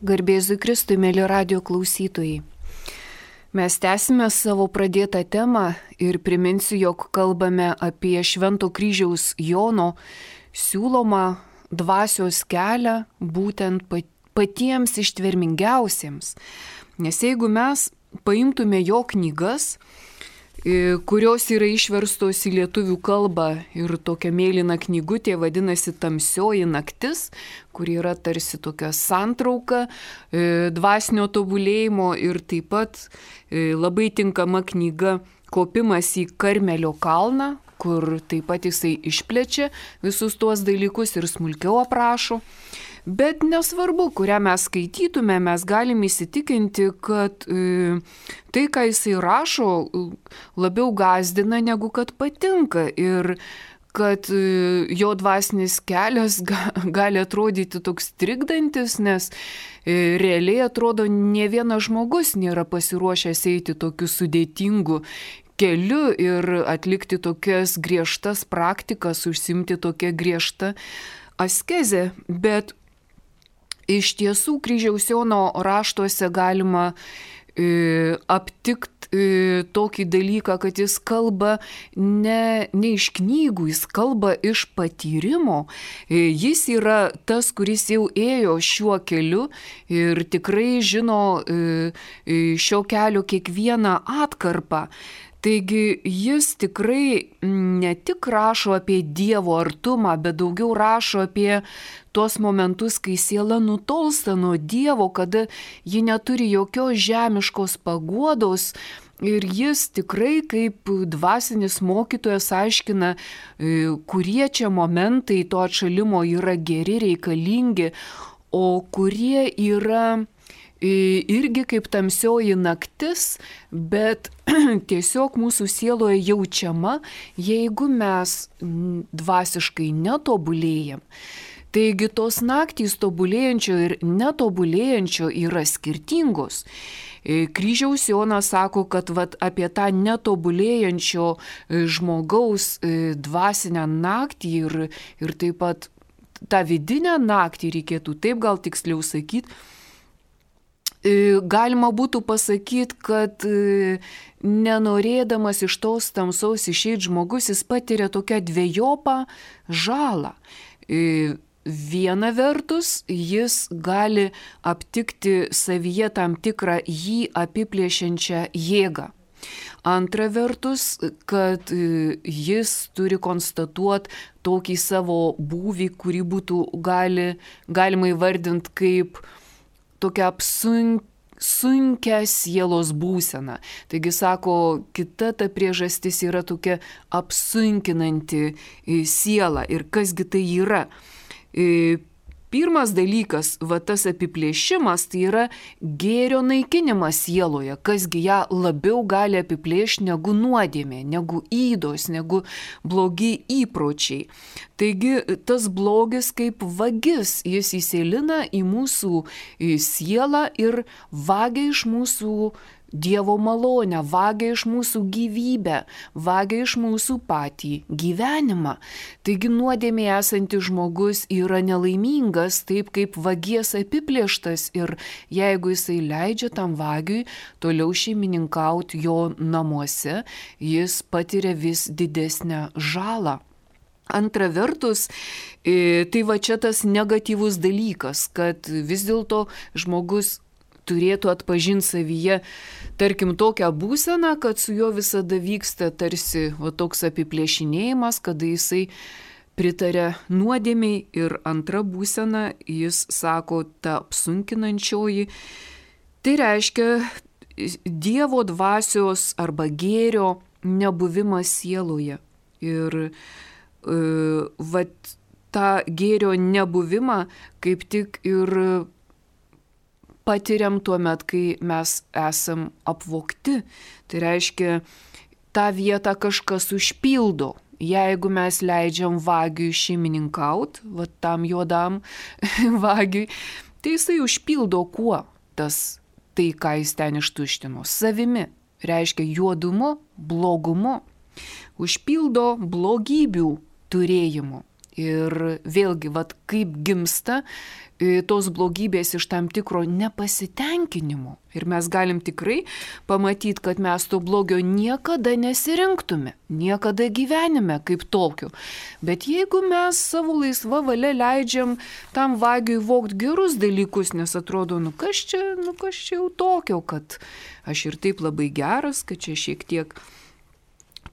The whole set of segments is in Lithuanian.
Garbėzui Kristui, mėly radio klausytojai. Mes tęsime savo pradėtą temą ir priminsiu, jog kalbame apie Švento kryžiaus Jono siūlomą dvasios kelią būtent patiems ištvermingiausiems. Nes jeigu mes paimtume jo knygas, kurios yra išverstos į lietuvių kalbą ir tokia mėlyna knygutė vadinasi Tamsioji naktis, kur yra tarsi tokia santrauka dvasinio tobulėjimo ir taip pat labai tinkama knyga Kopimas į Karmelio kalną, kur taip pat jisai išplečia visus tuos dalykus ir smulkiau aprašo. Bet nesvarbu, kurią mes skaitytume, mes galime įsitikinti, kad tai, ką jisai rašo, labiau gąsdina negu kad patinka ir kad jo dvasinis kelias gali atrodyti toks trikdantis, nes realiai atrodo, ne vienas žmogus nėra pasiruošęs eiti tokiu sudėtingu keliu ir atlikti tokias griežtas praktikas, užsimti tokią griežtą askezę, bet iš tiesų kryžiaus Jono raštuose galima aptikti tokį dalyką, kad jis kalba ne iš knygų, jis kalba iš patyrimo. Jis yra tas, kuris jau ėjo šiuo keliu ir tikrai žino šio kelio kiekvieną atkarpą. Taigi jis tikrai ne tik rašo apie Dievo artumą, bet daugiau rašo apie tuos momentus, kai siela nutolsta nuo Dievo, kada ji neturi jokios žemiškos paguodos. Ir jis tikrai kaip dvasinis mokytojas aiškina, kurie čia momentai to atšalimo yra geri, reikalingi, o kurie yra irgi kaip tamsioji naktis, bet tiesiog mūsų sieloje jaučiama, jeigu mes dvasiškai netobulėjam. Taigi tos naktys tobulėjančio ir netobulėjančio yra skirtingos. Kryžiaus Jonas sako, kad apie tą netobulėjančio žmogaus dvasinę naktį ir taip pat tą vidinę naktį, reikėtų taip gal tiksliau sakyti, galima būtų pasakyti, kad nenorėdamas iš tos tamsos išeiti žmogus, jis patiria tokią dvejopą žalą. Viena vertus, jis gali aptikti savyje tam tikrą jį apiplėšiančią jėgą. Antra vertus, kad jis turi konstatuoti tokį savo būvį, kurį būtų galima įvardinti kaip tokia sunkia sielos būsena. Taigi, sako, kita ta priežastis yra tokia apsunkinanti siela. Ir kasgi tai yra? Pirmas dalykas, tas apiplėšimas, tai yra gėrio naikinimas sieloje. Kasgi ją labiau gali apiplėšti negu nuodėmė, negu ydos, negu blogi įpročiai. Taigi tas blogis kaip vagis, jis įsėlina į mūsų sielą ir vagia iš mūsų Dievo malonę, vagia iš mūsų gyvybę, vagia iš mūsų patį gyvenimą. Taigi nuodėmė esantis žmogus yra nelaimingas, taip kaip vagies apiplėštas ir jeigu jisai leidžia tam vagiui toliau šeimininkauti jo namuose, jis patiria vis didesnę žalą. Antra vertus, tai čia tas negatyvus dalykas, kad vis dėlto žmogus turėtų atpažinti savyje, tarkim, tokią būseną, kad su juo visada vyksta tarsi toks apiplėšinėjimas, kada jisai pritarė nuodėmiai. Ir antra būsena, jis sako, ta apsunkinančioji, tai reiškia Dievo dvasios arba gėrio nebuvimas sieloje. Ir tą gėrio nebuvimą kaip tik ir patiriam tuo met, kai mes esam apvogti. Tai reiškia, tą vietą kažkas užpildo. Jeigu mes leidžiam vagiui šeimininkauti, tam juodam vagiui, tai jisai užpildo kuo tai, ką jis ten ištuštino. Savimi. Reiškia juodumu, blogumu. Užpildo blogybių turėjimu. Ir vėlgi, kaip gimsta tos blogybės iš tam tikro nepasitenkinimo. Ir mes galim tikrai pamatyti, kad mes to blogio niekada nesirinktume, niekada gyvenime kaip tokio. Bet jeigu mes savo laisvą valią leidžiam tam vagiui vogt gerus dalykus, nes atrodo, kas čia jau tokio, kad aš ir taip labai geras, kad čia šiek tiek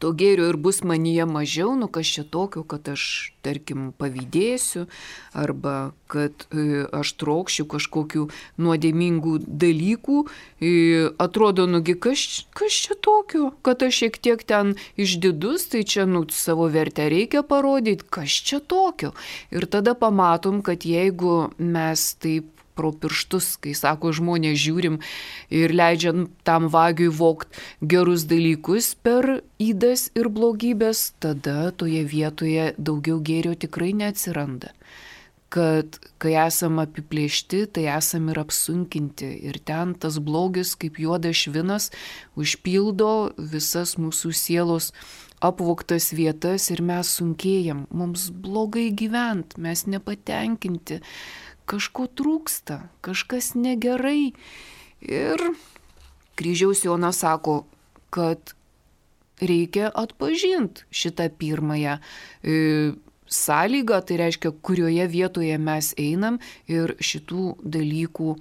to gėrio ir bus manyje mažiau, kas čia tokio, kad aš, tarkim, pavydėsiu, arba kad aš trokščiu kažkokių nuodėmingų dalykų, atrodo, kas čia tokio, kad aš šiek tiek ten išdidus, tai čia, savo vertę reikia parodyti, kas čia tokio. Ir tada pamatom, kad jeigu mes taip pro pirštus, kai sako žmonės, žiūrim ir leidžiam tam vagiui vogt gerus dalykus per ydas ir blogybės, tada toje vietoje daugiau gėrio tikrai neatsiranda. Kad kai esam apiplėšti, tai esam ir apsunkinti. Ir ten tas blogis kaip juodas švinas užpildo visas mūsų sielos apvogtas vietas ir mes sunkėjam. Mums blogai gyvent, mes nepatenkinti. Kažko trūksta, kažkas negerai. Ir Kryžiaus Jonas sako, kad reikia atpažinti šitą pirmąją sąlygą, tai reiškia, kurioje vietoje mes einam ir šitų dalykų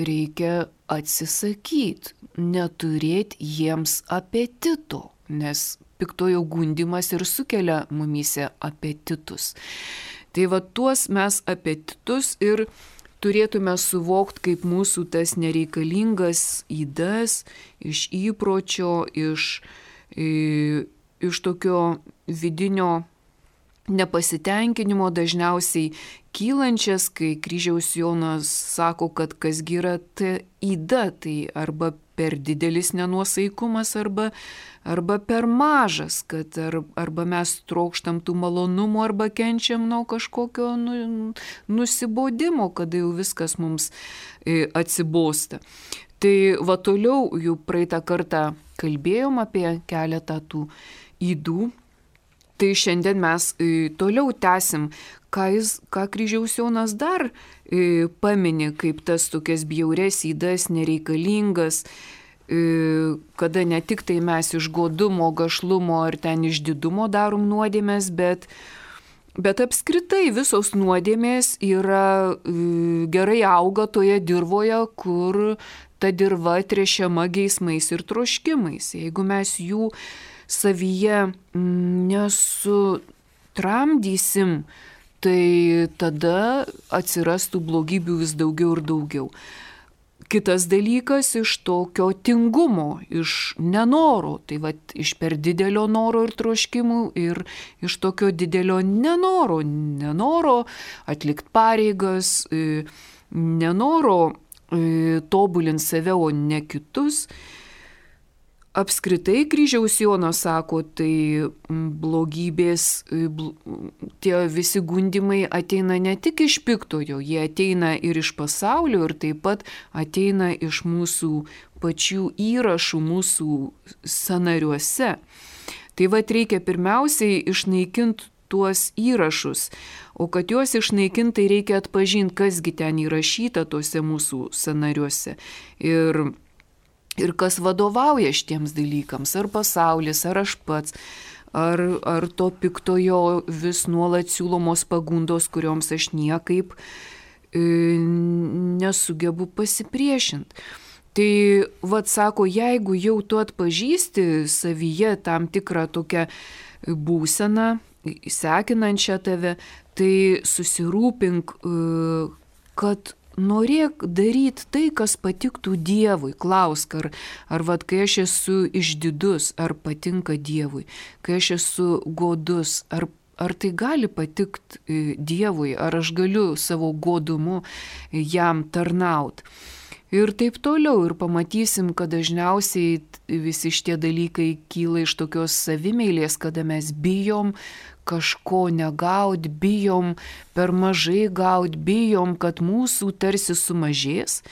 reikia atsisakyti, neturėti jiems apetito, nes piktojo gundymas ir sukelia mumyse apetitus. Tai tuos mes apetitus ir turėtume suvokti kaip mūsų tas nereikalingas ydas iš įpročio, iš tokio vidinio nepasitenkinimo dažniausiai kylančias, kai Kryžiaus Jonas sako, kad kasgi yra ta yda, tai arba per didelis nenuosaikumas, arba per mažas, kad arba mes trokštam tų malonumų, arba kenčiam nuo kažkokio nusibodimo, kada jau viskas mums atsibosta. Tai toliau jau praeitą kartą kalbėjom apie keletą tų ydų. Tai šiandien mes toliau tęsim, ką Kryžiaus Jonas dar pamini, kaip tas tokias bjaurias ydas, nereikalingas, kada ne tik tai mes iš godumo, gašlumo ar ten iš didumo darom nuodėmės, bet apskritai visos nuodėmės yra gerai auga toje dirvoje, kur ta dirva tręšiama geismais ir troškimais. Jeigu mes jų savyje nesutramdysim, tai tada atsirastų blogybių vis daugiau ir daugiau. Kitas dalykas iš tokio tingumo, iš nenoro, tai iš per didelio noro ir troškimų ir iš tokio didelio nenoro atlikti pareigas, nenoro tobulinti save, o ne kitus. Apskritai Kryžiaus Jonas sako, tai blogybės, tie visi gundymai ateina ne tik iš piktojo, jie ateina ir iš pasaulio ir taip pat ateina iš mūsų pačių įrašų, mūsų sąnariuose. Tai reikia pirmiausiai išnaikinti tuos įrašus, o kad juos išnaikinti, tai reikia atpažinti, kasgi ten įrašyta tuose mūsų sąnariuose. Ir kas vadovauja šitiems dalykams, ar pasaulis, ar aš pats, ar to piktojo vis nuolat siūlomos pagundos, kurioms aš niekaip nesugebu pasipriešinti. Tai sako, jeigu jau tu atpažįsti savyje tam tikrą tokią būseną, sekinančią tave, tai susirūpink, kad norėk daryti tai, kas patiktų Dievui. Klausk, ar kai aš esu išdidus, ar patinka Dievui, kai aš esu godus, ar tai gali patikti Dievui, ar aš galiu savo godumu jam tarnauti. Ir taip toliau, ir pamatysim, kad dažniausiai visi šitie dalykai kyla iš tokios savimeilės, kada mes bijom kažko negaut, bijom per mažai gaut, bijom, kad mūsų tarsi sumažės.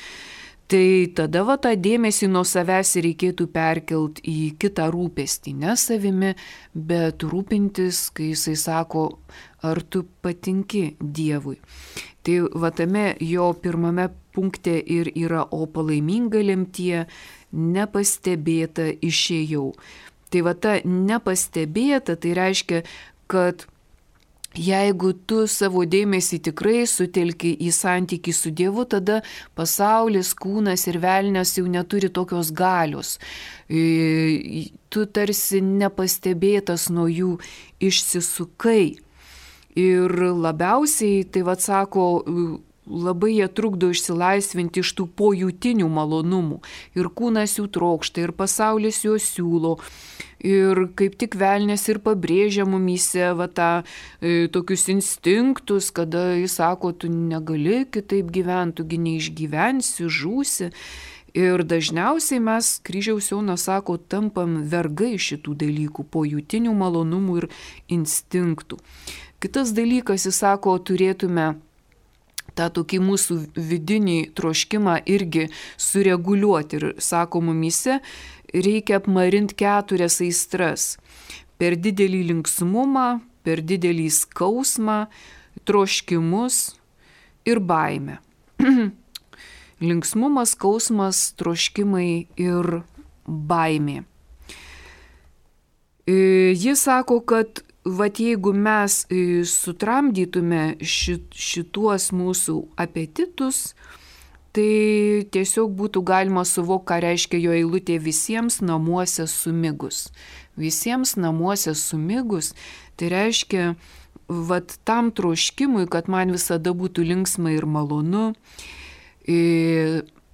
Tai tada tą dėmesį nuo savęs reikėtų perkelt į kitą rūpestį, ne savimi, bet rūpintis, kai jisai sako, ar tu patinki Dievui. Tai tame jo pirmame punkte ir yra, o palaiminga lemtie nepastebėta išėjau. Tai ta nepastebėta, tai reiškia, kad jeigu tu savo dėmesį tikrai sutelki į santykį su Dievu, tada pasaulis, kūnas ir velnias jau neturi tokios galios. Tu tarsi nepastebėtas nuo jų išsisukai. Ir labiausiai, tai sako, labai jie trukdo išsilaisvinti iš tų pojūtinių malonumų. Ir kūnas jų trokšta, ir pasaulis juos siūlo. Ir kaip tik velnias ir pabrėžia mumyse tokius instinktus, kada jis sako, tu negali kitaip gyventi, tugi neišgyvensi, žūsi. Ir dažniausiai mes, kryžiaus Jonas sako, tampam vergai šitų dalykų, pojūtinių malonumų ir instinktų. Kitas dalykas, jis sako, turėtume tą tokį mūsų vidinį troškimą irgi sureguliuoti. Ir sako, mumyse reikia apmarinti 4 aistras. Per didelį linksmumą, per didelį skausmą, troškimus ir baimę. Linksmumas, skausmas, troškimai ir baimė. Jis sako, kad jeigu mes sutramdytume šituos mūsų apetitus, tai tiesiog būtų galima suvokti, ką reiškia jo eilutė visiems namuose sumigus. Visiems namuose sumigus, tai reiškia, tam troškimui, kad man visada būtų linksma ir malonu,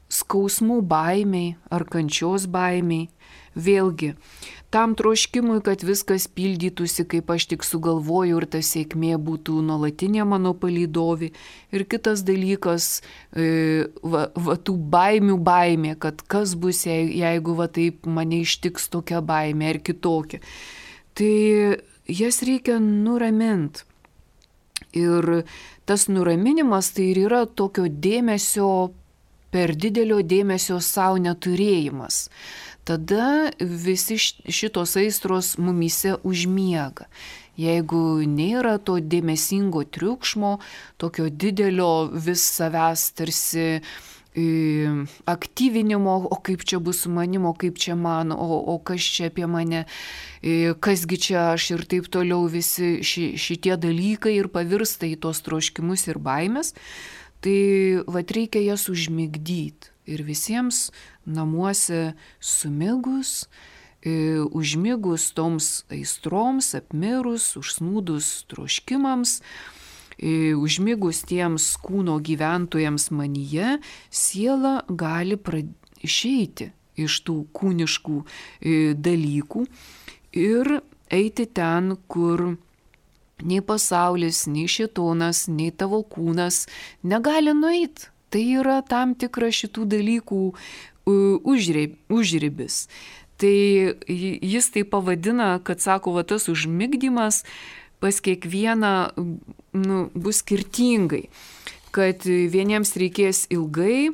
skausmų baimiai ar kančios baimiai, vėlgi, tam troškimui, kad viskas pildytųsi, kaip aš tik sugalvoju ir ta sėkmė būtų nuolatinė mano palydovė. Ir kitas dalykas, tų baimių baimė, kad kas bus, jeigu taip mane ištiks tokia baimė ar kitokia. Tai jas reikia nuraminti. Ir tas nuraminimas tai ir yra tokio dėmesio, per didelio dėmesio savo neturėjimas. Tada visi šitos aistros mumyse užmiega. Jeigu nėra to dėmesingo triukšmo, tokio didelio vis savęs tarsi aktyvinimo, o kaip čia bus su manim, o kaip čia man, o kas čia apie mane, kasgi čia aš ir taip toliau, visi šitie dalykai ir pavirsta į tos troškimus ir baimės, tai reikia jas užmigdyti. Ir visiems namuose sumigus, užmigus toms aistroms, apmirus, užsnūdus troškimams, užmigus tiems kūno gyventojams manyje, siela gali išeiti iš tų kūniškų dalykų ir eiti ten, kur nei pasaulis, nei šėtonas, nei tavo kūnas negali nueiti. Tai yra tam tikra šitų dalykų užribis. Tai jis tai pavadina, kad sako, tas užmigdymas pas kiekvieną bus skirtingai. Kad vieniems reikės ilgai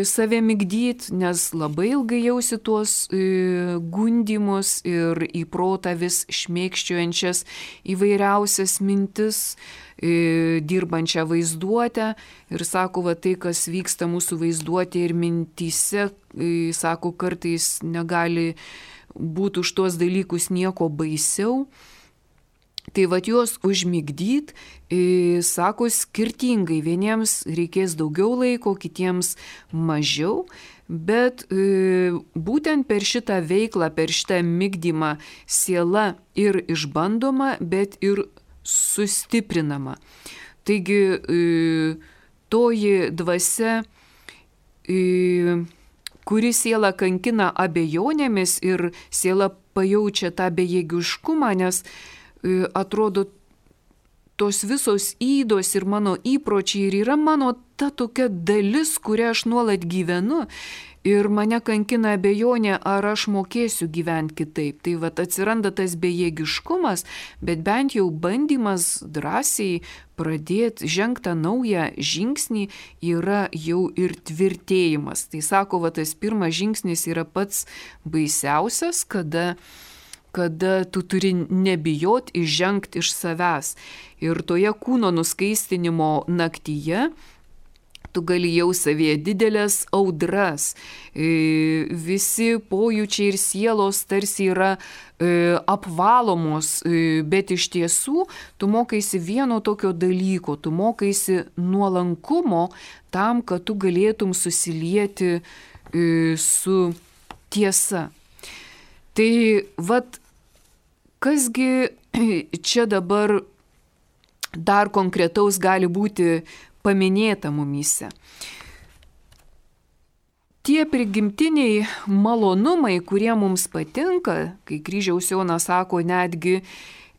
save migdyti, nes labai ilgai jausi tuos gundymus ir į protą vis šmėkščiojančias įvairiausias mintis, dirbančią vaizduotę. Ir sako, tai, kas vyksta mūsų vaizduotė ir mintyse, sako, kartais negali būti už tuos dalykus nieko baisiau. Tai juos užmigdyt, sako, skirtingai. Vieniems reikės daugiau laiko, kitiems mažiau, bet būtent per šitą veiklą, per šitą migdymą siela ir išbandoma, bet ir sustiprinama. Taigi toji dvasia, kuri siela kankina abejonėmis ir siela pajaučia tą bejėgiškumą, nes atrodo, tos visos ydos ir mano įpročiai ir yra mano ta tokia dalis, kurią aš nuolat gyvenu. ir mane kankina abejonė, ar aš mokėsiu gyventi kitaip. Tai vat atsiranda tas bejėgiškumas, bet bent jau bandymas drąsiai pradėti žengti naują žingsnį yra jau ir tvirtėjimas. Tai sako, va tas pirmas žingsnis yra pats baisiausias, kada tu turi nebijoti įžengti iš savęs. Ir toje kūno nuskaistinimo naktyje tu gali jau savyje didelės audras. Visi pojūčiai ir sielos tarsi yra apvalomos, bet iš tiesų tu mokaisi vieno tokio dalyko, tu mokaisi nuolankumo tam, kad tu galėtum susilieti su tiesa. Tai vat, kasgi čia dabar dar konkretaus gali būti paminėta mumyse. Tie prigimtiniai malonumai, kurie mums patinka, kai Kryžiaus Jonas sako, netgi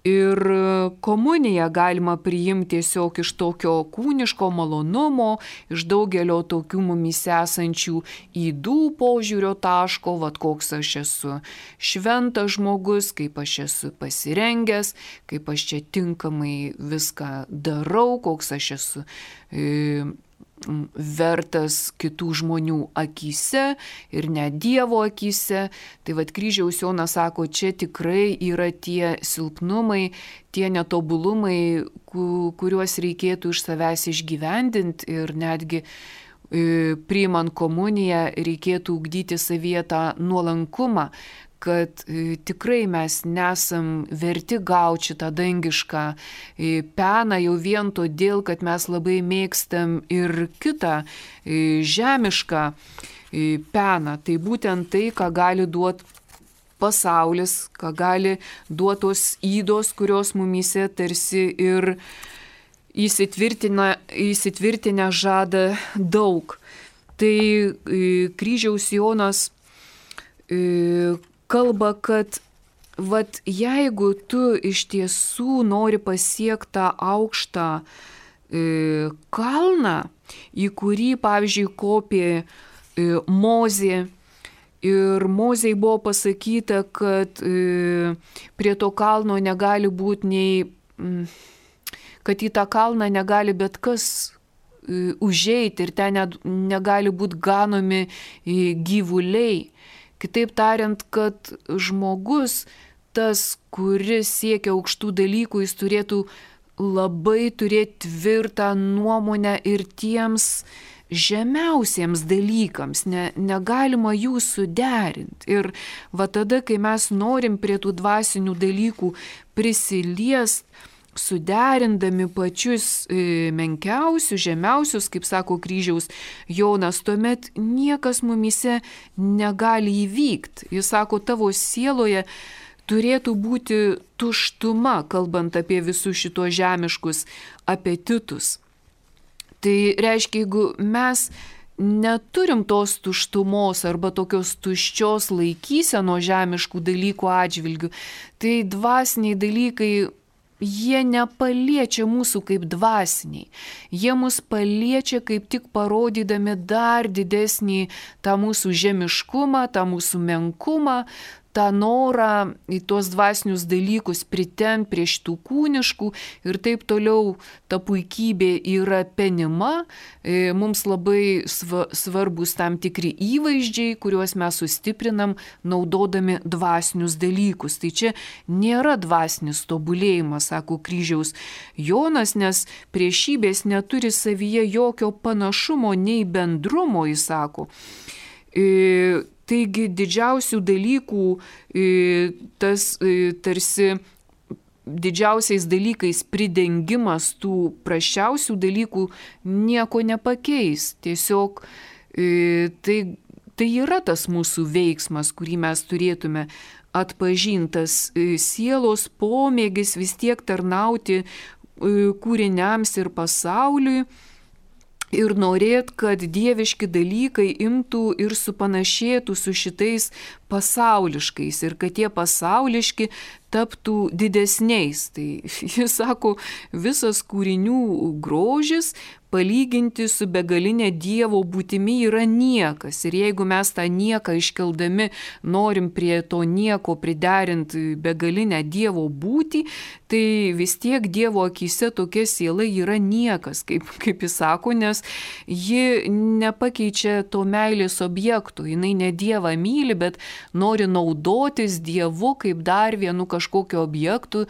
ir komuniją galima priimti tiesiog iš tokio kūniško malonumo, iš daugelio tokių mumyse esančių ydų požiūrio taško, vat koks aš esu šventas žmogus, kaip aš esu pasirengęs, kaip aš čia tinkamai viską darau, koks aš esu vertas kitų žmonių akyse ir net Dievo akyse. Tai vat Kryžiaus Jonas sako, čia tikrai yra tie silpnumai, tie netobulumai, kuriuos reikėtų iš savęs išgyvendinti ir netgi priimant komuniją reikėtų ugdyti savyje tą nuolankumą, kad tikrai mes nesam verti gauti šitą dangišką peną jau vien todėl, kad mes labai mėgstam ir kitą žemišką peną. Tai būtent tai, ką gali duoti pasaulis, ką gali duoti tos ydos, kurios mumyse tarsi ir įsitvirtinę žada daug. Tai Kryžiaus Jonas kalba, kad vat, jeigu tu iš tiesų nori pasiekti tą aukštą kalną, į kurį, pavyzdžiui, kopė Mozė, ir Mozei buvo pasakyta, kad prie to kalno negali būti nei, kad į tą kalną negali bet kas užeiti ir ten negali būti ganomi gyvuliai. Kitaip tariant, kad žmogus, tas, kuris siekia aukštų dalykų, jis turėtų labai turėti tvirtą nuomonę ir tiems žemiausiems dalykams, negalima jų suderinti. Ir va tada, kai mes norim prie tų dvasinių dalykų prisiliest, suderindami pačius menkiausius, žemiausius, kaip sako Kryžiaus Jonas, tuomet niekas mumyse negali įvykti. Jis sako, tavo sieloje turėtų būti tuštuma, kalbant apie visus šitos žemiškus apetitus. Tai reiškia, jeigu mes neturim tos tuštumos arba tokios tuščios laikysenos žemiškų dalykų atžvilgių, tai dvasiniai dalykai jie nepaliečia mūsų kaip dvasiniai. Jie mus paliečia kaip tik parodydami dar didesnį tą mūsų žemiškumą, tą mūsų menkumą, tą norą į tuos dvasinius dalykus pritempt prie šitų kūniškų ir taip toliau. Ta puikybė yra penima, mums labai svarbus tam tikri įvaizdžiai, kuriuos mes sustiprinam naudodami dvasinius dalykus. Tai čia nėra dvasinis tobulėjimas, sako Kryžiaus Jonas, nes priešybės neturi savyje jokio panašumo nei bendrumo, jis sako. Taigi didžiausių dalykų, tas tarsi didžiausiais dalykais pridengimas tų prasčiausių dalykų nieko nepakeis. Tiesiog tai yra tas mūsų veiksmas, kurį mes turėtume atpažintas sielos pomėgis vis tiek tarnauti kūriniams ir pasauliui. Ir norėt, kad dieviški dalykai imtų ir supanašėtų su šitais pasauliškais ir kad tie pasauliški taptų didesniais. Tai jis sako, visas kūrinių grožis palyginti su begalinė Dievo būtimi yra niekas. Ir jeigu mes tą nieką iškeldami norim prie to nieko priderinti begalinę Dievo būtį, tai vis tiek Dievo akyse tokia siela yra niekas, kaip jis sako, nes ji nepakeičia to meilės objektų. Jinai ne Dievą myli, bet nori naudotis Dievu kaip dar vienu kažkokiu objektu,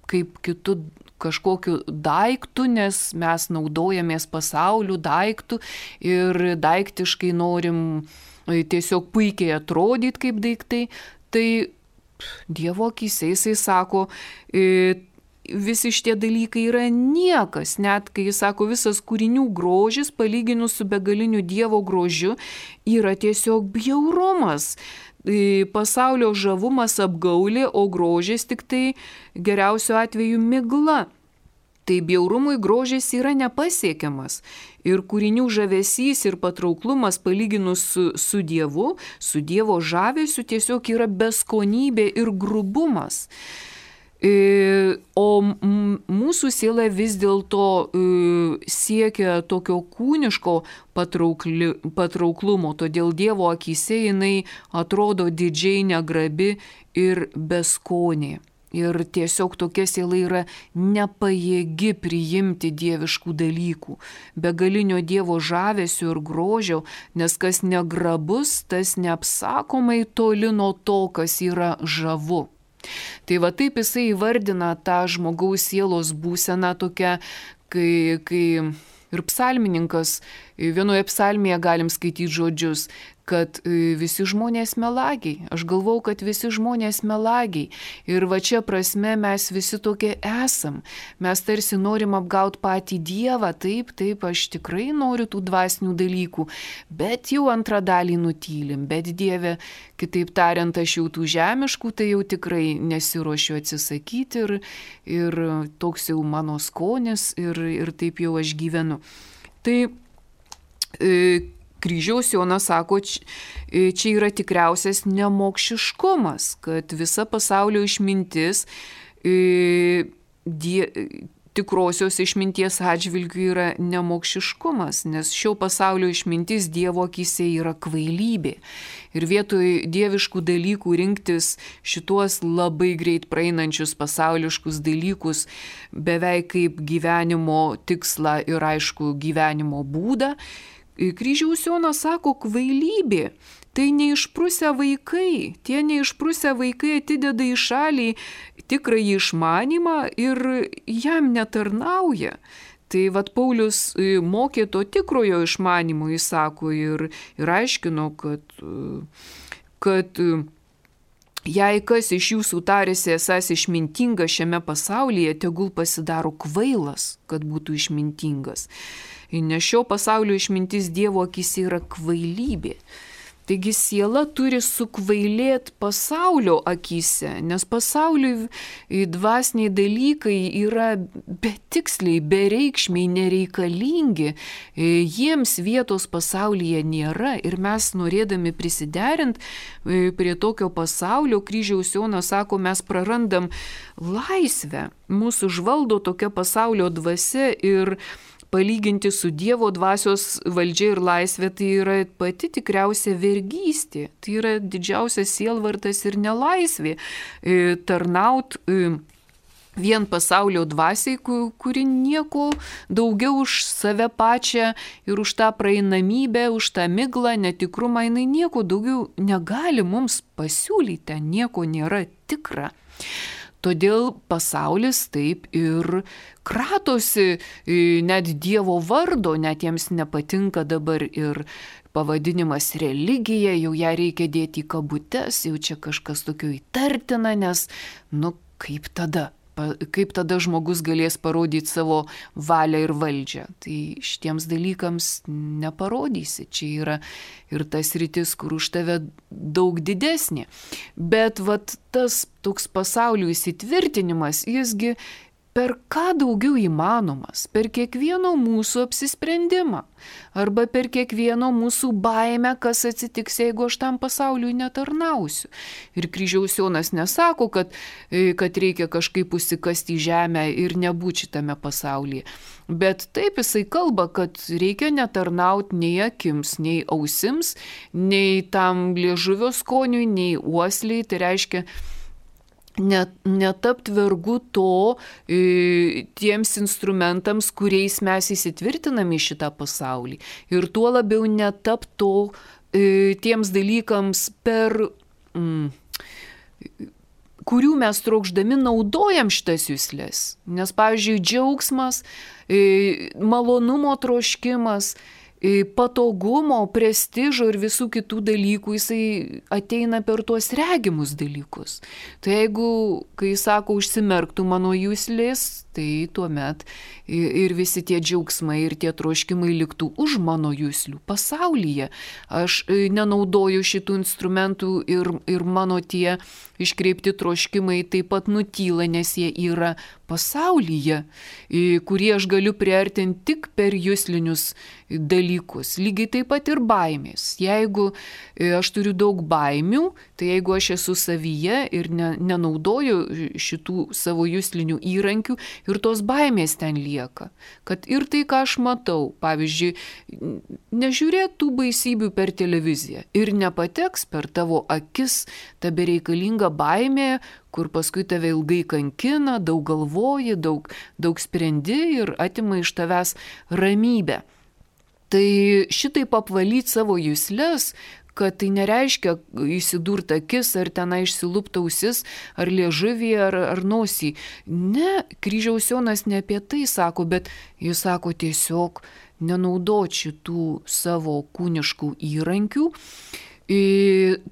kaip kitu kažkokiu daiktu, nes mes naudojamės pasauliu daiktu ir daiktiškai norim tiesiog puikiai atrodyti kaip daiktai. Tai Dievo akyse jisai sako, visi šitie dalykai yra niekas, net kai jis sako, visas kūrinių grožis palyginus su begaliniu Dievo grožiu yra tiesiog bjaurumas. Pasaulio žavumas apgaulė, o grožis tik tai geriausiu atveju migla. Tai bjaurumui grožis yra nepasiekiamas. Ir kūrinių žavesys ir patrauklumas palyginus su Dievu, su Dievo žavesiu tiesiog yra beskonybė ir grubumas. O mūsų siela vis dėlto siekia tokio kūniško patrauklumo, todėl Dievo akyse jinai atrodo didžiai negrabi ir beskonė. Ir tiesiog tokia siela yra nepajėgi priimti dieviškų dalykų, begalinio Dievo žavesio ir grožio, nes kas negrabus, tas neapsakomai toli nuo to, kas yra žavu. Tai va taip jisai įvardina tą žmogaus sielos būseną tokią, kai ir psalmininkas, vienoje psalmėje galim skaityti žodžius, kad visi žmonės melagiai. Aš galvau, kad visi žmonės melagiai. Ir va čia prasme mes visi tokie esam. Mes tarsi norim apgauti patį Dievą. Taip, aš tikrai noriu tų dvasinių dalykų. Bet jau antrą dalį nutylim. Bet Dieve, kitaip tariant, aš jau tų žemiškų, tai jau tikrai nesiruošiu atsisakyti. Ir toks jau mano skonis ir taip jau aš gyvenu. Tai Kryžiaus Jonas sako, čia yra tikriausias nemokšiškumas, kad visa pasaulio išmintis tikrosios išminties atžvilgių yra nemokšiškumas, nes šio pasaulio išmintis Dievo akyse yra kvailybė. Ir vietoj dieviškų dalykų rinktis šituos labai greit praeinančius pasauliškus dalykus beveik kaip gyvenimo tikslą ir aišku gyvenimo būdą, Kryžiaus Jonas sako, kvailybė. Tai neišprusę vaikai. Tie neišprusę vaikai atideda į šalį tikrąjį išmanymą ir jam netarnauja. Tai vat Paulius mokė to tikrojo išmanimo, jis sako, ir aiškino, kad jei kas iš jūsų tarėsi esąs išmintingas šiame pasaulyje, tegul pasidaro kvailas, kad būtų išmintingas. Nes šio pasaulio išmintis Dievo akyse yra kvailybė. Taigi siela turi sukvailėti pasaulio akyse, nes pasauliui dvasiniai dalykai yra betiksliai, bereikšmiai, nereikalingi. Jiems vietos pasaulyje nėra ir mes norėdami prisiderinti prie tokio pasaulio, Kryžiaus Jonas sako, mes prarandam laisvę. Mūsų žvaldo tokia pasaulio dvasia ir palyginti su Dievo dvasios valdžia ir laisvė, tai yra pati tikriausia vergystė. Tai yra didžiausias sielvartas ir nelaisvė. Tarnaut vien pasaulio dvasiai, kuri nieko daugiau už save pačią ir už tą praeinamybę, už tą miglą, netikrumą, jinai nieko daugiau negali mums pasiūlyti, nieko nėra tikra. Todėl pasaulis taip ir kratosi net Dievo vardo, net jiems nepatinka dabar ir pavadinimas religija, jau ją reikia dėti į kabutes, jau čia kažkas tokio įtartina, nes, kaip tada žmogus galės parodyti savo valią ir valdžią. Tai šitiems dalykams neparodysi. Čia yra ir tas rytis, kur už tave daug didesnė. Bet vat tas toks pasaulio įsitvirtinimas, jisgi per ką daugiau įmanomas, per kiekvieno mūsų apsisprendimą arba per kiekvieno mūsų baimę, kas atsitiks, jeigu aš tam pasauliui netarnausiu. Ir kryžiaus Jonas nesako, kad reikia kažkaip užsikasti į žemę ir nebūti šitame pasaulyje. Bet taip jisai kalba, kad reikia netarnauti nei akims, nei ausims, nei tam liežuvio skoniui, nei uosliai. Tai reiškia netapt vergu to tiems instrumentams, kuriais mes įsitvirtinam į šitą pasaulį. Ir tuo labiau netapt to tiems dalykams, kurių mes trokšdami naudojam šitas juslės. Nes, pavyzdžiui, džiaugsmas, malonumo troškimas, patogumo, prestižo ir visų kitų dalykų, jisai ateina per tuos regimus dalykus. Tai jeigu, kai sako, užsimerktų mano juslės, tai tuomet ir visi tie džiaugsmai ir tie troškimai liktų už mano juslių pasaulyje. Aš nenaudoju šitų instrumentų ir mano tie iškreipti troškimai taip pat nutyla, nes jie yra pasaulyje, kurį aš galiu priartinti tik per juslinius dalykus. Lygiai taip pat ir baimės. Jeigu aš turiu daug baimių, tai jeigu aš esu savyje ir nenaudoju šitų savo juslinių įrankių, ir tos baimės ten lieka. Kad ir tai, ką aš matau, pavyzdžiui, nežiūrėt tų baisybių per televiziją ir nepateks per tavo akis ta bereikalinga baimė, kur paskui tave ilgai kankina, daug galvoji, daug sprendi ir atima iš tavęs ramybę. Tai šitaip apvalyti savo juslės, kad tai nereiškia įsidurt akis ar tenai išsilupta ausis, ar liežuvį, ar nosį. Ne, kryžiaus Jonas ne apie tai sako, bet jis sako tiesiog nenaudot šitų savo kūniškų įrankių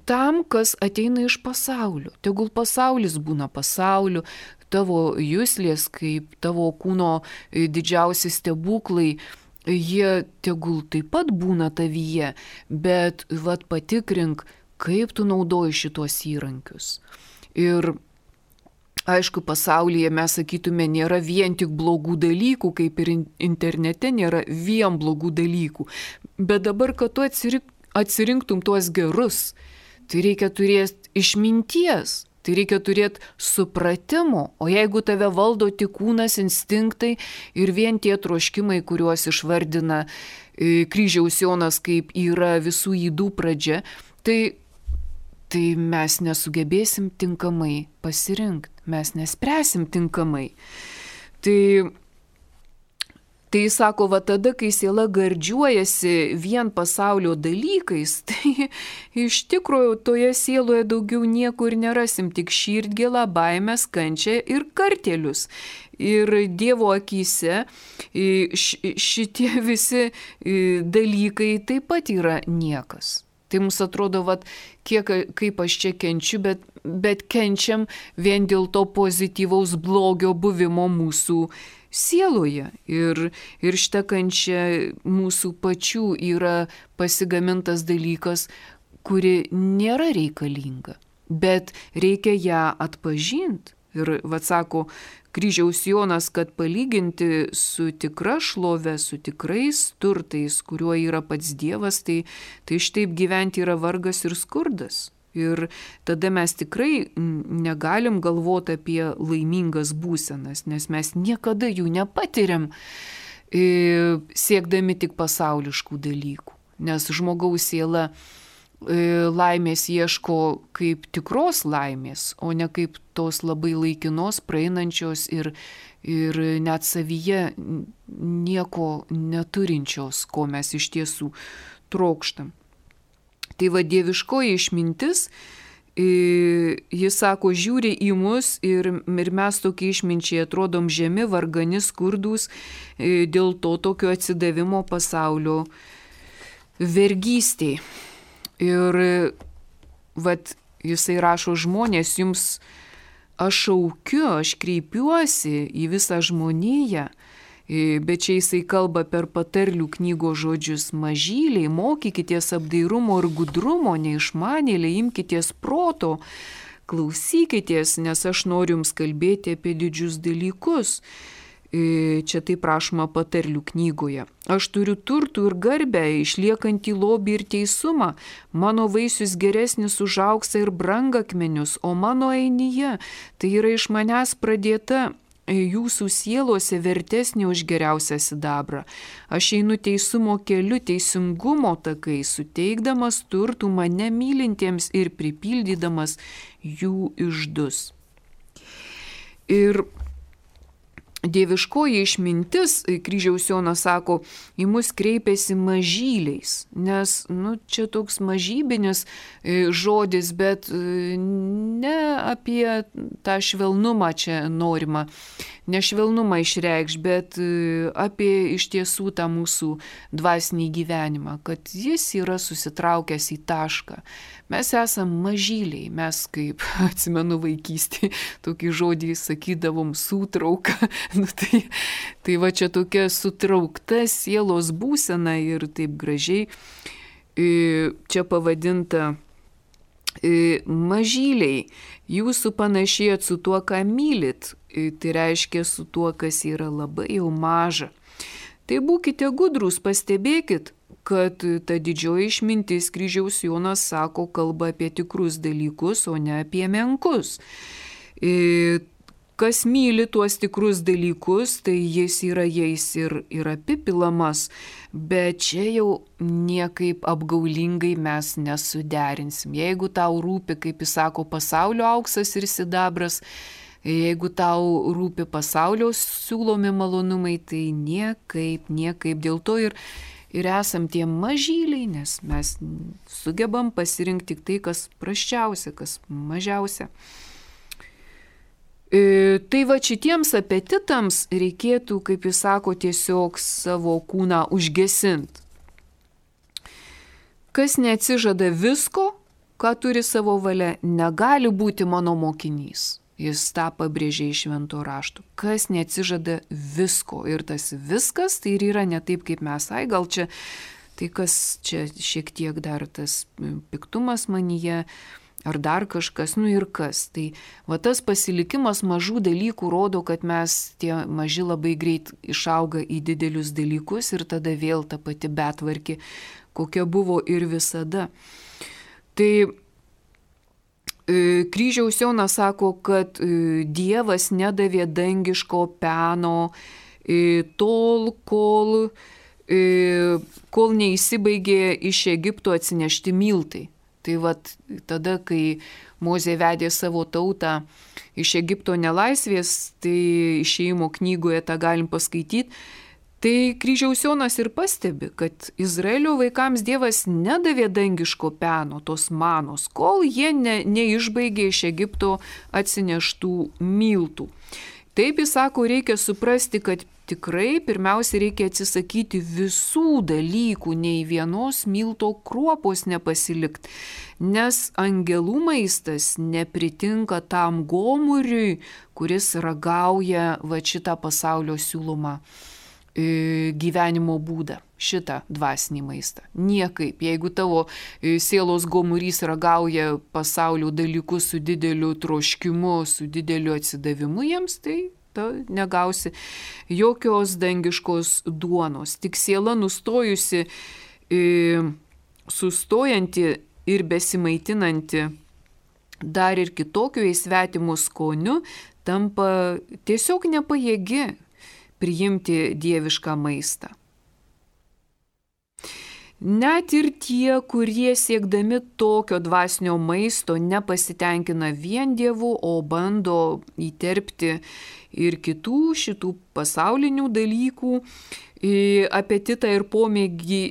tam, kas ateina iš pasaulio. Tegul pasaulis būna pasauliu, tavo juslės kaip tavo kūno didžiausi stebuklai, jie tegul taip pat būna tavyje, bet patikrink, kaip tu naudoji šitos įrankius. Ir aišku, pasaulyje mes sakytume, nėra vien tik blogų dalykų, kaip ir internete nėra vien blogų dalykų. Bet dabar, kad tu atsirinktum tuos gerus, tai reikia turėti išminties. Tai reikia turėti supratimo, o jeigu tave valdo tik kūnas, instinktai ir vien tie troškimai, kuriuos išvardina kryžiaus Jonas, kaip yra visų ydų pradžia, tai mes nesugebėsim tinkamai pasirinkti, mes nespręsim tinkamai. Tai sako, tada, kai siela gardžiuojasi vien pasaulio dalykais, tai iš tikrųjų toje sieloje daugiau nieko ir nerasim, tik širdgėlą, baimės, kančią ir kartėlius. Ir Dievo akyse šitie visi dalykai taip pat yra niekas. Tai mums atrodo, kaip aš čia kenčiu, bet kenčiam vien dėl to pozityvaus blogio buvimo mūsų sieloje. Ir šita kančia mūsų pačių yra pasigamintas dalykas, kuri nėra reikalinga, bet reikia ją atpažinti. Ir sako kryžiaus Jonas, kad palyginti su tikra šlove, su tikrais turtais, kuriuo yra pats Dievas, tai šitaip gyventi yra vargas ir skurdas. Ir tada mes tikrai negalim galvoti apie laimingas būsenas, nes mes niekada jų nepatiriam, siekdami tik pasauliškų dalykų. Nes žmogaus siela laimės ieško kaip tikros laimės, o ne kaip tos labai laikinos, praeinančios ir net savyje nieko neturinčios, ko mes iš tiesų trokštam. Tai dieviškoji išmintis, jis sako, žiūri į mus ir mes tokie išminčiai atrodom žemi, vargani, skurdūs, dėl to tokio atsidavimo pasaulio vergystei. Ir jisai rašo, žmonės, jums aš šaukiu, aš kreipiuosi į visą žmoniją, bet čia jisai kalba per patarlių knygos žodžius: mažyliai, mokykitės apdairumo ir gudrumo, neišmanėliai, imkitės proto, klausykitės, nes aš noriu jums kalbėti apie didžius dalykus. Čia taip rašoma Patarlių knygoje. Aš turiu turtų ir garbę, išliekantį lobį ir teisumą. Mano vaisius geresnis už auksą ir brangakmenius, o mano einyje tai yra iš manęs pradėta jūsų sielose vertesnė už geriausią sidabrą. Aš einu teisumo keliu, teisingumo takai, suteikdamas turtų mane mylintiems ir pripildydamas jų iždus. Ir dieviškoji išmintis, Kryžiaus Jonas sako, į mus kreipiasi mažyliais, nes, čia toks mažybinis žodis, bet ne apie tą švelnumą čia norima, ne švelnumą išreikš, bet apie iš tiesų tą mūsų dvasinį gyvenimą, kad jis yra susitraukęs į tašką. Mes esam mažyliai, mes kaip, atsimenu vaikystėje, tokį žodį sakydavom sutrauka. Tai va čia tokia sutraukta sielos būsena ir taip gražiai čia pavadinta mažyliai. Jūsų panašėjat su tuo, ką mylit, tai reiškia su tuo, kas yra labai jau maža. Tai būkite gudrūs, pastebėkit, kad ta didžioji išmintis, Kryžiaus Jonas sako, kalba apie tikrus dalykus, o ne apie menkus. Kas myli tuos tikrus dalykus, tai jis yra jais ir apipilamas, bet čia jau niekaip apgaulingai mes nesuderinsim. Jeigu tau rūpi, kaip jis sako, pasaulio auksas ir sidabras, jeigu tau rūpi pasaulio siūlomi malonumai, tai niekaip. Dėl to ir esam tie mažyliai, nes mes sugebam pasirinkti tik tai, kas prasčiausia, kas mažiausia. Tai va šitiems apetitams reikėtų, kaip jis sako, tiesiog savo kūną užgesinti. Kas neatsižada visko, ką turi savo valia, negali būti mano mokinys. Jis tą pabrėžė iš Švento rašto. Kas neatsižada visko. Ir tas viskas tai ir yra ne taip, kaip mes. Gal čia, tai kas čia šiek tiek dar tas piktumas manyje, ar dar kažkas, ir kas. Tai va tas pasilikimas mažų dalykų rodo, kad mes tie maži labai greit išauga į didelius dalykus ir tada vėl ta pati betvarkė, kokia buvo ir visada. Tai Kryžiaus Jonas sako, kad Dievas nedavė dangiško peno tol, kol neįsibaigė iš Egipto atsinešti miltai. Tai vat tada, kai Mozė vedė savo tautą iš Egipto nelaisvės, tai Išėjimo knygoje tą galim paskaityti, tai Kryžiaus Jonas ir pastebi, kad Izraelio vaikams Dievas nedavė dangiško peno, tos manos, kol jie neišbaigė iš Egipto atsineštų miltų. Taip jis sako, reikia suprasti, kad tikrai pirmiausia reikia atsisakyti visų dalykų, nei vienos milto kruopos nepasilikti, nes angelų maistas nepritinka tam gomuriui, kuris ragauja va šitą pasaulio siūlomą gyvenimo būdą, šitą dvasinį maistą. Niekaip. Jeigu tavo sielos gomurys ragauja pasaulio dalykus su dideliu troškimu, su dideliu atsidavimu jiems, tai negausi jokios dangiškos duonos. Tik siela nustojusi, sustojanti ir besimaitinanti dar ir kitokio įsvetimų skoniu, tampa tiesiog nepajėgi priimti dievišką maistą. Net ir tie, kurie siekdami tokio dvasinio maisto nepasitenkina vien Dievu, o bando įterpti ir kitų šitų pasaulinių dalykų apetitą ir pomėgį,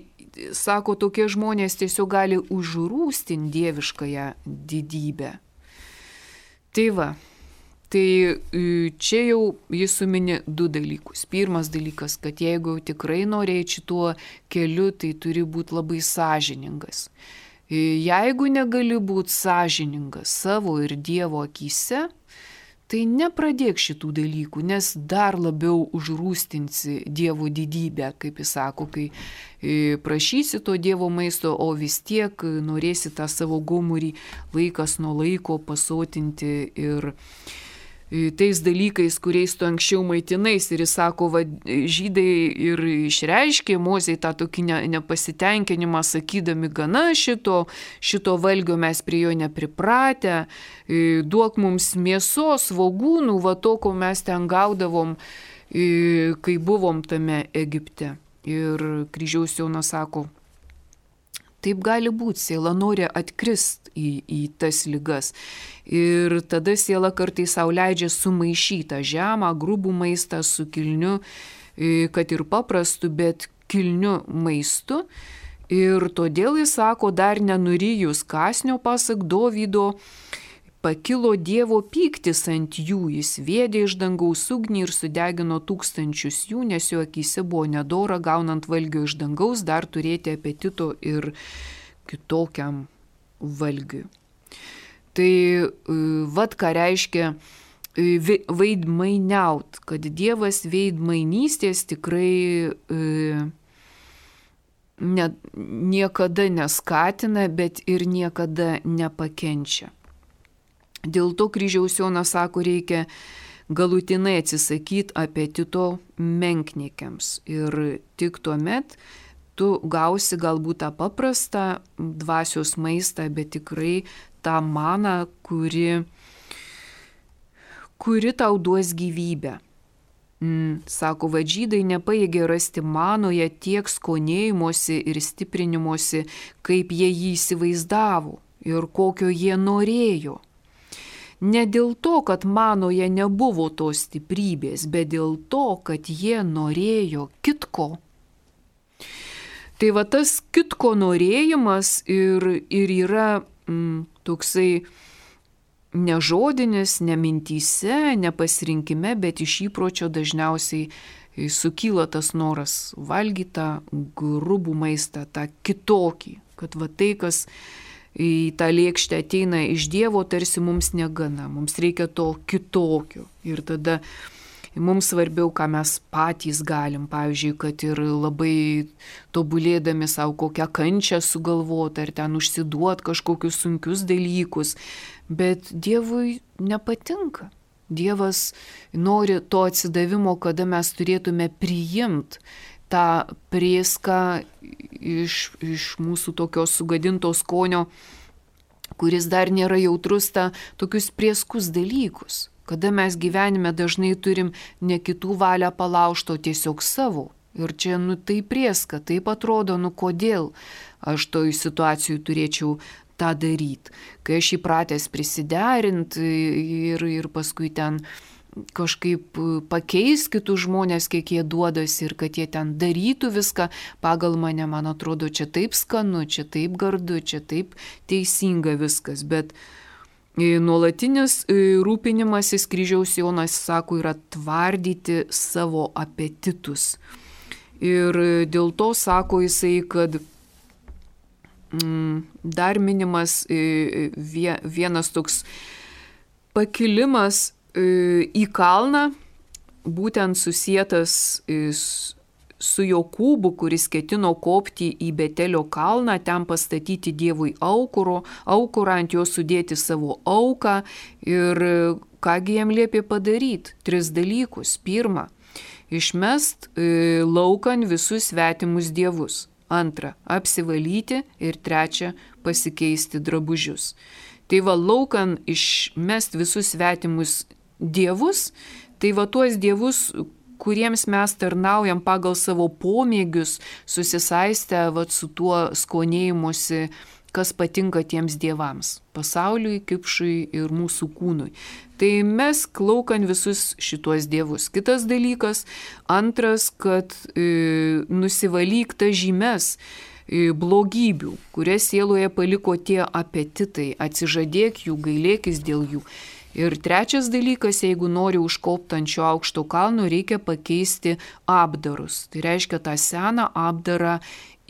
sako, tokie žmonės tiesiog gali užrūstinti dieviškąją didybę. Tai va. Tai čia jau jis sumini du dalykus. Pirmas dalykas, kad jeigu tikrai norėjai šituo keliu, tai turi būti labai sąžiningas. Jeigu negali būti sąžiningas savo ir Dievo akyse, tai nepradėk šitų dalykų, nes dar labiau užrūstinsi Dievo didybę, kaip jis sako, kai prašysi to Dievo maisto, o vis tiek norėsi tą savo gomurį laikas nuo laiko pasotinti ir tais dalykais, kuriais tu anksčiau maitinais. Ir jis sako, va, žydai ir išreiškė Mozei tą tokį nepasitenkinimą, sakydami, gana šito valgio mes prie jo nepripratę, duok mums mėsos, svogūnų, va to, ko mes ten gaudavom, kai buvom tame Egipte. Ir kryžiaus Jonas sako, taip gali būti, siela nori atkrist į tas ligas. Ir tada siela kartais sau leidžia sumaišytą žemą, grubų maistą su kilniu, kad ir paprastu, bet kilniu maistu. Ir todėl jis sako, dar nenurijus kąsnio, pasak Dovydo, pakilo Dievo pyktis ant jų, jis vėdė iš dangaus ugnį ir sudegino tūkstančius jų, nes jo akyse buvo nedora, gaunant valgio iš dangaus, dar turėti apetito ir kitokiam valgiui. Tai vat ką reiškia veidmainiaut, kad Dievas veidmainystės tikrai niekada neskatina, bet ir niekada nepakenčia. Dėl to kryžiaus Jonas sako, reikia galutinai atsisakyti apetito menkniekiams. Ir tik tuomet tu gausi galbūt tą paprastą dvasios maistą, bet tikrai tą maną, kuri tau duos gyvybę. Sako, va, žydai nepajėgė rasti manoje tiek skonėjimosi ir stiprinimosi, kaip jie jį įsivaizdavo ir kokio jie norėjo. Ne dėl to, kad manoje nebuvo tos stiprybės, bet dėl to, kad jie norėjo kitko. Tai va tas kitko norėjimas ir yra toksai nežodinis, ne mintyse, ne pasirinkime, bet iš įpročio dažniausiai sukyla tas noras valgyti tą grubų maistą, tą kitokį, kad va tai, kas į tą lėkštę ateina iš Dievo, tarsi mums negana, mums reikia to kitokio. Ir tada mums svarbiau, ką mes patys galim, pavyzdžiui, kad ir labai tobulėdami savo kokią kančią sugalvoti, ar ten užsiduot kažkokius sunkius dalykus, bet Dievui nepatinka. Dievas nori to atsidavimo, kada mes turėtume priimti tą prėską iš mūsų tokios sugadinto skonio, kuris dar nėra jautrus, tokius prieskus dalykus. Kada mes gyvenime dažnai turim ne kitų valią palaužto, tiesiog savo. Ir čia, tai prieska, taip atrodo, kodėl aš toj situacijų turėčiau tą daryti. Kai aš įpratęs prisiderinti ir paskui ten kažkaip pakeis kitus žmonės, kiek jie duodasi ir kad jie ten darytų viską pagal mane, man atrodo, čia taip skanu, čia taip gardu, čia taip teisinga viskas, bet nuolatinis rūpinimasis, kryžiaus Jonas sako, yra tvardyti savo apetitus. Ir dėl to sako jisai, kad dar minimas vienas toks pakilimas į kalną, būtent susietas su Jokūbu, kuris ketino kopti į Betelio kalną, ten pastatyti Dievui aukurą, ant jo sudėti savo auką. Ir kągi jam liepė padaryti? 3 dalykus. 1. Išmest laukan visus svetimus dievus. 2. Apsivalyti. Ir 3. Pasikeisti drabužius. Tai va, laukan išmest visus svetimus dievus, tai va tuos dievus, kuriems mes tarnaujam pagal savo pomėgius, susisaistę va su tuo skonėjimusi, kas patinka tiems dievams, pasauliui, kipšui ir mūsų kūnui. Tai mes laukan visus šituos dievus. Kitas dalykas, 2, kad nusivalyk tas žymes blogybių, kurias sieloje paliko tie apetitai, atsižadėk jų, gailėkis dėl jų. Ir 3 dalykas, jeigu nori užkopti ant šio aukšto kalno, reikia pakeisti apdarus. Tai reiškia tą seną apdarą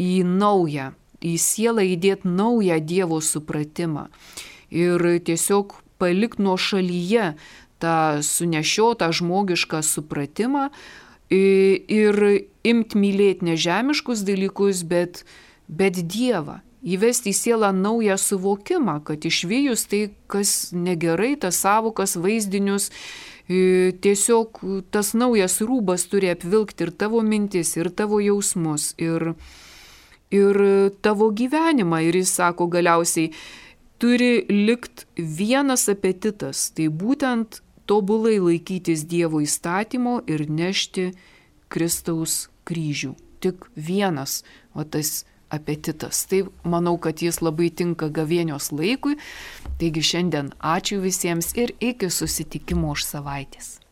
į naują, į sielą įdėti naują Dievo supratimą. Ir tiesiog palik nuo šalyje tą sunešiotą žmogišką supratimą ir imt mylėti nežemiškus dalykus, bet Dievą. Įvesti į sielą naują suvokimą, kad išvijus tai, kas negerai, tas savokas, vaizdinius, tiesiog tas naujas rūbas turi apvilkti ir tavo mintis, ir tavo jausmus, ir tavo gyvenimą. Ir jis sako galiausiai, turi likt vienas apetitas, tai būtent tobulai laikytis Dievo įstatymo ir nešti Kristaus kryžių. Tik vienas, o tas apetitas. Tai manau, kad jis labai tinka gavėnios laikui. Taigi šiandien ačiū visiems ir iki susitikimo už savaitės.